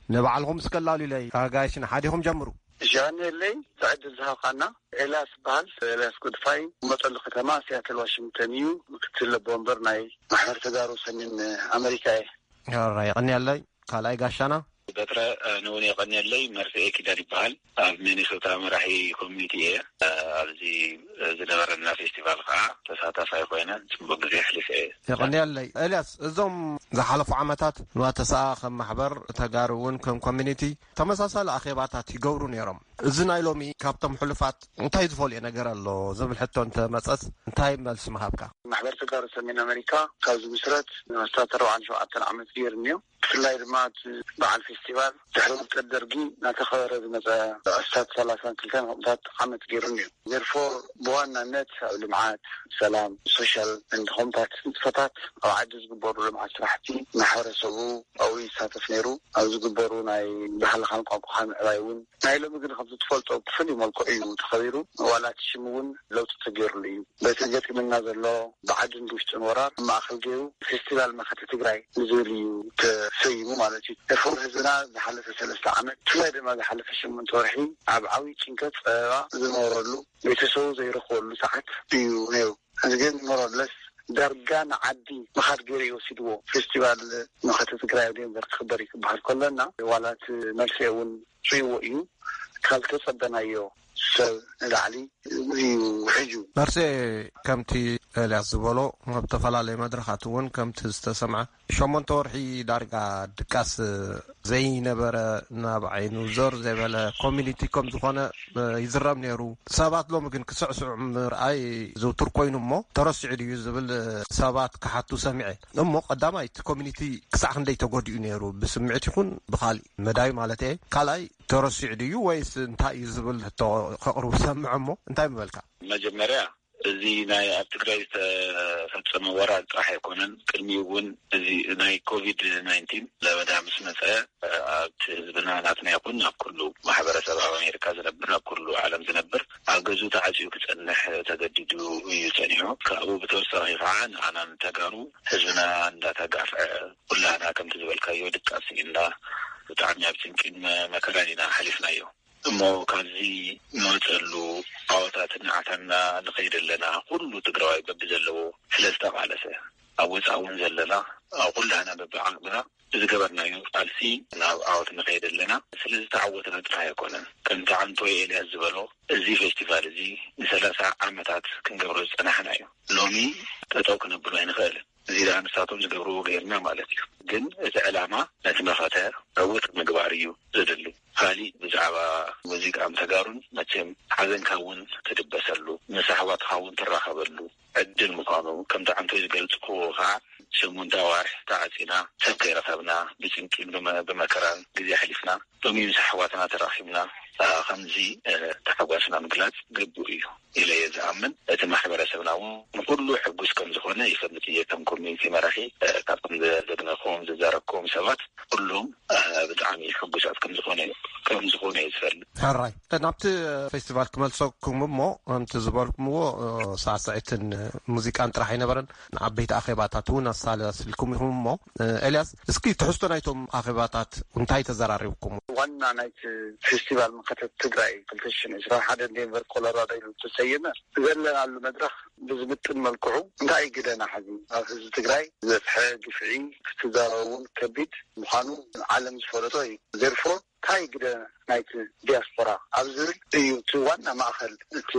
ንባዕልኹም እስከ ኣላልዩለይ። ኣጋይሽ ንሓዲኹም ጀምሩ። ሻኔለይ፣ ዕድል ዝሃብካና። ኤልያስ በሃል። ኤልያስ ጉድፋይ፣ መጠሉ ከተማ ሲያትል ዋሽንግተን እዩ። ምክትል ኣቦ ወንበር ናይ ማሕበር ተጋሩ ሰሜን ኣሜሪካ እየ። ሕራይ፣ የቐንየለይ። ካልኣይ ጋሻና። በትረ፣ እ፣ ንውን የቐንየለይ። መርፍኤ ኪዳን ይበሃል። ኣብ ሚኒሶታ መራሒ ኮሚኒቲ እየ። እ፣ ኣብዚ፣ እ፣ ዝነበረና ፌስቲቫል ከዓ ተሳታፋይ ኮይነ ጽቡቅ ግዜ ኣሕሊፈ እየ። የቐንየለይ። ኤልያስ፣ እዞም ዝሓለፉ ዓመታት ንዋተሰኣ ከም ማሕበር ተጋሩ እውን ከም ኮሚኒቲ ተመሳሳሊ ኣኼባታት ይገብሩ ነይሮም። እዚ ናይ ሎሚ ካብቶም ሕሉፋት እንታይ ዝፈልዮ ነገር ኣሎ ዝብል ሕቶ እንተመጸስ እንታይ መልሲ ምሃብካ? ማሕበር ተጋሩ ሰሜን ኣሜሪካ ካብ ዝምስረት ንኣስታት ኣርባዓን ሸውዓተን ዓመት ገይሩ እኒኦ። ብፍላይ ድማ እቲ በዓል ፌስቲቫል ድሕሪ ውድቀት ደርጊ እናተኸበረ ዝመፀ ኣስታት ሰላሳን ክልተን ከምኡታት ዓመት ገይሩ እኒኦ። ዘርፎ ብዋናነት ኣብ ልምዓት፣ ሰላም፣ ሶሻል እንድ ከምኡታት ንጥፈታት ኣብ ዓዲ ዝግበሩ ልምዓት ስራሕቲ ማሕበረሰቡ ኣብኡ ይሳተፍ ነይሩ። ኣብ ዝግበሩ ናይ ባህልኻን ቋንቋኻን ምዕባይ እውን ናይ ሎሚ ግን ከምቲ ትፈልጦ ብፍሉይ መልክዑ እዩ ተኸቢሩ። ዋላ እቲ ሽም እውን ለውጢ ተገይሩሉ እዩ። በቲ ገጢምና ዘሎ ብዓድን ብውሽጥን ወራር ኣብ ማእኸል ገይሩ ፌስቲቫል መኸተ ትግራይ ንዝብል እዩ ተሰይሙ ማለት እዩ። ኤርፎር ህዝብና ዝሓለፈ ሰለስተ ዓመት ብፍላይ ድማ ዝሓለፈ ሸሞንተ ወርሒ ኣብ ዓብዪ ጭንቀት ጸበባ ዝነበረሉ ቤተሰቡ ዘይረኽበሉ ሰዓት እዩ ነይሩ። እዚ ግን ሞሮለስ ዳርጋ ንዓዲ ምኻድ ገይሩ እዩ ወሲድዎ። ፌስቲቫል መኸተ ትግራይ ኣብ ዴንቨር ክኽበር እዩ ክበሃል ከሎና ዋላ እቲ መልሲ እውን ርእይዎ እዩ። ካብ ዝተጸበናዮ ሰብ ንላዕሊ እዩ ውሕጁ። መርሴ፣ ከምቲ ኤልያስ ዝበሎ ኣብ ዝተፈላለዩ መድረኻት እውን ከምቲ ዝተሰምዐ ሸሞንተ ወርሒ ዳርጋ ድቃስ ዘይነበረ ናብ ዓይኑ ዞር ዘይበለ ኮሚኒቲ ከም ዝኾነ ይዝረብ ነይሩ። ሰባት ሎሚ ግን ክስዕስዑ ምርኣይ ዝውቱር ኮይኑ እሞ ተረሲዑ ድዩ ዝብል ሰባት ክሓቱ ሰሚዐ። እሞ ቀዳማይ እቲ ኮሚኒቲ ክሳዕ ክንደይ ተጎዲኡ ነይሩ ብስምዒት ይኹን ብኻሊእ መዳይ ማለት እየ። ካልኣይ ተረሲዑ ድዩ ወይስ እንታይ እዩ ዝብል ሕቶ ከቕርቡ ሰምዐ እሞ እንታይ ምበልካ? መጀመርያ እዚ ናይ ኣብ ትግራይ ዝተፈጸመ ወራር ጥራሕ ኣይኮነን። ቅድሚኡ እውን እዚ ናይ ኮቪድ ናይንቲን ለበዳ ምስ መጸ ኣብቲ ህዝብና ናትና ይኹን ኣብ ኩሉ ማሕበረሰብ ኣብ ኣሜሪካ ዝነብር ኣብ ኩሉ ዓለም ዝነብር ኣብ ገዝኡ ተዓፅዩ ክጸንሕ ተገዲዱ እዩ ጸኒሑ። ካብኡ ብተወሳኺ ከዓ ንኣና ንተጋሩ ህዝብና እንዳተጋፍዐ ኩላና ከምቲ ዝበልካዮ ድቃስ እንዳ ብጣዕሚ ኣብ ጭንቂን መ- መከራን ኢና ሓሊፍናዮ። እሞ ካብዚ ንወፀሉ ዓወታት እናዓታና ንኸይድ ኣለና። ኩሉ ትግራዋይ በቢ ዘለዎ ስለ ዝተቓለሰ ኣብ ወፃእ እውን ዘለና ኣብ ኩላና በቢ ዓቕምና ብዝገበርናዮ ቃልሲ ናብ ዓወት ንኸይድ ኣለና። ስለ ዝተዓወትና ጥራይ ኣይኮነን። ከምቲ ዓንቶይ ኤልያስ ዝበሎ እዚ ፌስቲቫል እዚ ንሰላሳ ዓመታት ክንገብሮ ዝፀናሕና እዩ። ሎሚ ጠጠው ክነብሎ ኣይንኽእልን። እዚ ደኣ ንሳቶም ዝገብርዎ ገይርና ማለት እዩ። ግን እቲ ዕላማ ነቲ መኸተ ዕውት ምግባር እዩ ዘድሊ። ካሊእ ብዛዕባ ሙዚቃን ተጋሩን መቸም ሓዘንካ እውን ትድበሰሉ፣ ምስ ኣሕዋትካ እውን ትራኸበሉ ዕድል ምዃኑ ከምቲ ዓንቶይ ዝገልጽክዎ ከዓ ሸሞንተ ኣዋርሕ ተዓጺና ሰብ ከይረኸብና ብጭንቂን ብመ- ብመከራን ግዜ ኣሕሊፍና ሎሚ ምስ ኣሕዋትና ተራኺብና ከምዚ ተሓጓስና ምግላጽ ግቡእ እዩ ኢለ እየ ዝኣምን። እቲ ማሕበረሰብና እውን ንኩሉ ሕጉስ ከም ዝኾነ ይፈልጥ እየ። ከም ኮሚኒቲ መራሒ ካብቶም ዘግነኹም ዝዛረብኩም ሰባት ኩሎም ብጣዕሚ ሕጉሳት ከም ዝኾነ ከም ዝኾነ እየ ዝፈልጥ። ሕራይ ናብቲ ፌስቲቫል ክመልሰኩም እሞ ከምቲ ዝበልኩምዎ ሳዕስዒትን ሙዚቃን ጥራሕ ኣይነበረን። ንዓበይቲ ኣኼባታት እውን ኣሳላስልኩም ኢኹም እሞ ኤልያስ እስኪ ትሕዝቶ ናይቶም ኣኼባታት እንታይ ተዘራሪብኩም? ዋና ናይቲ ፌስቲቫል መኸተት ትግራይ ክልተ ሽሕን ዕስራን ሓደ ዴንቨር ኮሎራዶ ኢሉ ዝተሰየመ ዘለናሉ መድረኽ ብዝምጥን መልክዑ እንታይ ግደና ሓዚ ኣብ ህዝቢ ትግራይ ዝበፅሐ ግፍዒ ክትዛረቡ እውን ከቢድ ምዃኑ ዓለም ዝፈለጦ እዩ። ዘርፎ እንታይ ግደ ናይቲ ዲያስፖራ ኣብ ዝብል እዩ እቲ ዋና ማእኸል እቲ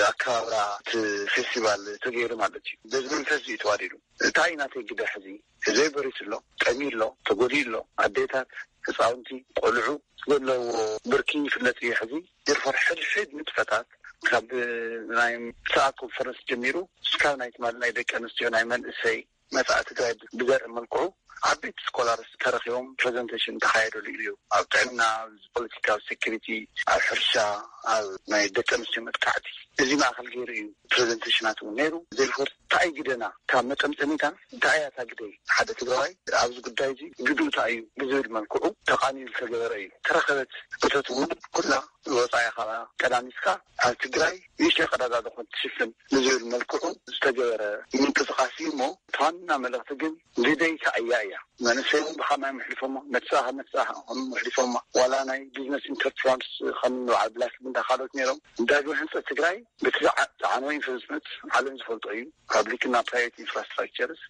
ኣከባብራ እቲ ፌስቲቫል ተገይሩ ማለት እዩ። በዚ መንፈስ እዩ ተዋዲዱ። እንታይ ናተይ ግደ ሕዚ ህዝበይ በሪሱ ኣሎ፣ ጠምዩ ኣሎ፣ ተጎዲኡ ኣሎ። ኣዴታት፣ ህፃውንቲ፣ ቆልዑ ዘለዎ ብርኪ ይፍለጥ እዩ። ሕዚ ድርፈር ሕድሕድ ንጥፈታት ካብ ናይ ሰኣ ኮንፈረንስ ጀሚሩ እስካብ ናይ ትማሊ ናይ ደቂ ኣንስትዮ ናይ መንእሰይ መጻኢ ትግራይ ብዘርኢ መልክዑ ዓበይቲ ስኮላርስ ተረኺቦም ፕሬዘንቴሽን ተኻየደሉ እዩ። ኣብ ጥዕና፣ ኣብ ፖለቲካ፣ ኣብ ሴኩሪቲ፣ ኣብ ሕርሻ፣ ኣብ ናይ ደቂ ኣንስትዮ መጥቃዕቲ እዚ ማእኸል ገይሩ እዩ። ፕሬዘንቴሽናት እውን ነይሩ። ዘይኮር እንታይ ግደና ካብ መጠምጠሚታ እንታይ እያ እታ ግደይ ሓደ ትግራዋይ ኣብዚ ጉዳይ እዚ ግድኡ እንታይ እዩ ብዝብል መልክዑ ተቓኒዩ ዝተገበረ እዩ። ተረኸበት እቶት እውን ኩላ ወፃኢ ካብ ቀዳሚትካ ኣብ ትግራይ ንእሽተይ ቀዳዳ ዝኾን ትሽፍን ብዝብል መልክዑ ዝተገበረ ምንቅስቃስ እዩ። እሞ እቲ ዋና መልእኽቲ ግን ግደይ እንታይ እያ እያ። መንእሰይ እውን ብኸማይ ምሕሊፎማ፣ መትፃኻ መትፃኻ ከም ምሕሊፎማ፣ ዋላ ናይ ቢዝነስ ኢንተርፕራንስ ከም በዓል ብላክ እንዳ ካልኦት ነይሮም። ዳግመ ህንፀት ትግራይ ብቲ ዝዓ- ዝዓነወ ኢንቨስትመንት ዓለም ዝፈልጦ እዩ። ፓብሊክ እና ፕራይቬት ኢንፍራስትራክቸርስ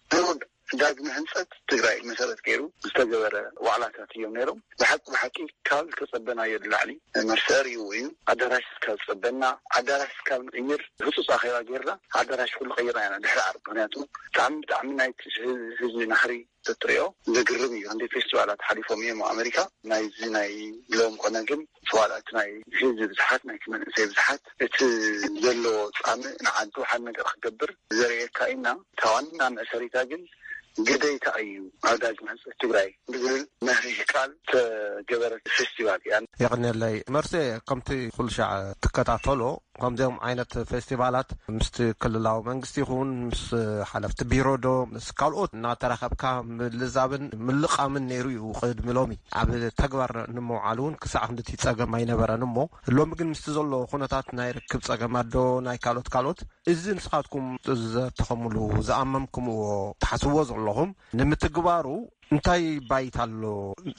ዳግመ ህንፀት ትግራይ መሰረት ገይሩ ዝተገበረ ዋዕላታት እዮም ነይሮም። ብሓቂ ብሓቂ ካብ ዝተፀበናዮ ንላዕሊ መርሰር እዩ እዩ። ኣዳራሽ ካብ ዝፀበና፣ ኣዳራሽ ካብ ንቅይር ህፁፅ ኣኼባ ጌርና ኣዳራሽ ኩሉ ቀይርና ኢና ድሕሪ ዓርቢ። ምክንያቱ ብጣዕሚ ብጣዕሚ ናይ ህዝቢ ናህሪ ተትሪኦ ዘግርም እዩ። እንደ ፌስቲቫላት ሓሊፎም እዮም ኣብ ኣሜሪካ። ናይዚ ናይ ሎም ኮነ ግን ዋላ እቲ ናይ ህዝቢ ብዝሓት ናይቲ መንእሰይ ብዝሓት እቲ ዘለዎ ፃምእ ንዓዱ ሓደ ነገር ክገብር ዘርእየካ ኢና። እታ ዋና መእሰሪታ ግን ግደይታ እዩ ኣብ ዳግመ ህንፀት ትግራይ ብዝብል መሪህ ቃል ተገበረት ፌስቲቫል እያ። የቐንየለይ መርሴ። ከምቲ ኩሉ ሻዕ ትከታተሎ ከምዚኦም ዓይነት ፌስቲቫላት ምስቲ ክልላዊ መንግስቲ ይኹን ምስ ሓለፍቲ ቢሮ ዶ ምስ ካልኦት እናተራኸብካ ምልዛብን ምልቓምን ነይሩ እዩ። ቅድሚ ሎሚ ኣብ ተግባር ንምውዓሉ እውን ክሳዕ ክንድቲ ጸገም ኣይነበረን። እሞ ሎሚ ግን ምስቲ ዘሎ ኩነታት ናይ ርክብ ጸገማት ዶ ናይ ካልኦት ካልኦት እዚ ንስኻትኩም ዘተኸምሉ ዝኣመምኩምዎ ትሓስብዎ ዘለኹም ንምትግባሩ እንታይ ባይታ ኣሎ?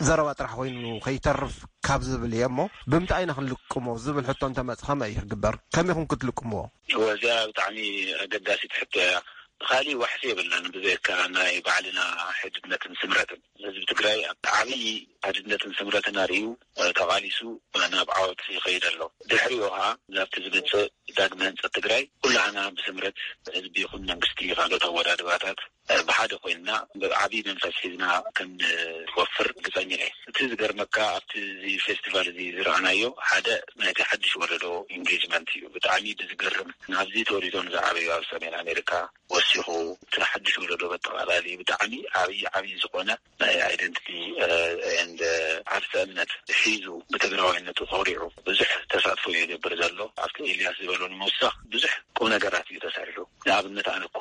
ዘረባ ጥራሕ ኮይኑ ከይተርፍ ካብ ዝብል እየ እሞ ብምንታይ ኢና ክንልቅሞ ዝብል ሕቶ እንተመጽእ ከመይ እዩ ክግበር? ከመይ ኢኹም ክትልቅምዎ? እወ፣ እዚኣ ብጣዕሚ ኣገዳሲት ሕቶ እያ። ብኻሊእ ዋሕሲ የብልናን ብዘይካ ናይ ባዕልና ሕድነትን ስምረትን። ህዝቢ ትግራይ ኣብ ዓብዪ ሓድነትን ስምረትን ኣርእዩ፣ እ፣ ተቓሊሱ ናብ ዓወት ይኸይድ ኣሎ። ድሕሪኡ ኸዓ ናብቲ ዝመጽእ ዳግመ ህንጸት ትግራይ ኩላህና ብስምረት ህዝቢ ይኹን መንግስቲ ካልኦት ኣወዳድባታት፣ እ፣ ብሓደ ኮይንና ብዓብዪ መንፈስ ሒዝና ክንወፍር ግጸኛ እየ። እቲ ዝገርመካ ኣብቲ እዚ ፌስቲቫል እዚ ዝረኣናዮ ሓደ ናይቲ ሓድሽ ወለዶ ኢንጌጅመንት እዩ። ብጣዕሚ ብዝገርም ናብዚ ተወሊዶም ዝዓበዩ ኣብ ሰሜን ኣሜሪካ ወሲኹ እቲ ሓድሽ ወለዶ በጠቓላሊ ብጣዕሚ ዓብዪ ዓብዪ ዝኾነ ናይ ኣይደንቲቲ ኤንድ ዓርሰ እምነት ሒዙ ብትግራዋይነቱ ኮሪዑ ብዙሕ ተሳትፎ ይገብር ዘሎ። ኣብቲ ኤልያስ ዝበሎ ንምውሳኽ ብዙሕ ቁም ነገራት እዩ ተሰሪሑ። ንኣብነት ኣነ እኳ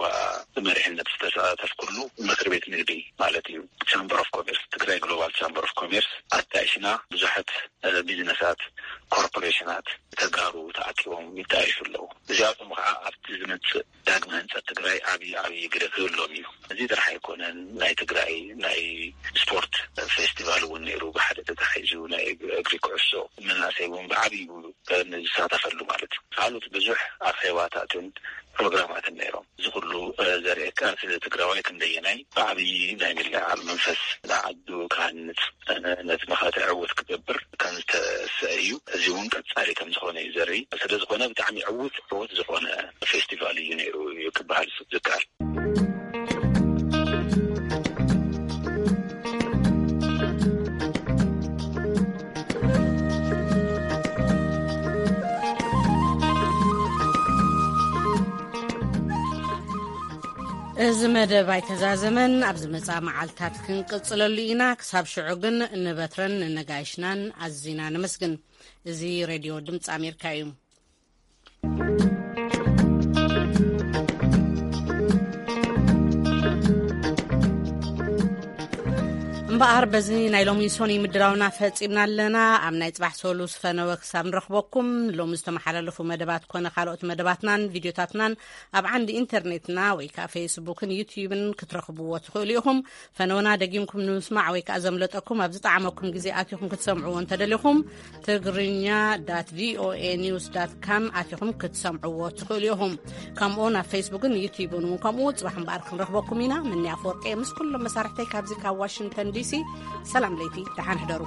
ብመሪሕነት ዝተሳተፍኩሉ ምክር ቤት ንግዲ ማለት እዩ ቻምበር ኦፍ ኮሜርስ ትግራይ ግሎባል ቻምበር ኦፍ ኮሜርስ ኣጣይሽና ብዙሓት ቢዝነሳት ኮርፖሬሽናት ተጋሩ ተኣኪቦም ይጣየሹ ኣለዉ። እዚኣቶም ከዓ ኣብቲ ዝመፅእ ዳግመ ህንፀት ትግራይ ዓብዪ ዓብዪ ግደ ክህሎም እዩ። እዚ ጥራሕ ኣይኮነን። ናይ ትግራይ ናይ ስፖርት ፌስቲቫል እውን ነይሩ ብሓደ ተታሒዙ ናይ እግሪ ኩዕሶ መናእሰይ እውን ብዓብዩ ዝሳተፈሉ ማለት እዩ። ካልኦት ብዙሕ ኣኼባታትን ፕሮግራማትን ነይሮም። እዚ ኩሉ ዘርእየካ እቲ ትግራዋይ ክንደየናይ ብዓብዪ ናይ ምልዕዓል መንፈስ ንዓዱ ክሃንፅ ነቲ መኸተ ዕውት ክገብር ከም ዝተሰአ እዩ። እዚ እውን ቀፃሊ ከም ዝኾነ እዩ ዘርኢ። ስለ ዝኾነ ብጣዕሚ ዕውት ዕውት ዝኾነ ፌስቲቫል እዩ ነይሩ እዩ ክበሃል ዝከኣል። እዚ መደብ ኣይተዛዘመን፣ ኣብ ዝመጽኣ መዓልታት ክንቅጽለሉ ኢና። ክሳብ ሽዑ ግን ንበትረን ንነጋይሽናን ኣዚና ነመስግን። እዚ ሬድዮ ድምፂ ኣሜሪካ እዩ። እምበኣር በዚ ናይ ሎሚ ሶኒ ምድራውና ፈጺምና ኣለና። ኣብ ናይ ጽባሕ ሶሉስ ፈነወ ክሳብ ንረኽበኩም ሎሚ ዝተመሓላለፉ መደባት ኮነ ካልኦት መደባትናን ቪድዮታትናን ኣብ ዓንዲ ኢንተርኔትና ወይ ከዓ ፌስቡክን ዩትዩብን ክትረኽብዎ ትኽእሉ ኢኹም። ፈነወና ደጊምኩም ንምስማዕ ወይ ከዓ ዘምለጠኩም ኣብ ዝጠዓመኩም ግዜ ኣቲኹም ክትሰምዕዎ እንተደሊኹም ትግርኛ ዳት ቪኦኤ ኒውስ ዳት ካም ኣቲኹም ክትሰምዕዎ ትኽእሉ ኢኹም። ከምኡ ናብ ፌስቡክን ዩትዩብን እውን ከምኡ። ፅባሕ እምበኣር ክንረኽበኩም ኢና። ምንያ ኣፈወርቂ ምስ ኩሎም መሳርሕተይ ካብዚ ካብ ዋሽንግተን ዲሲ ሰላም ለይቲ ደሓን ሕደሩ።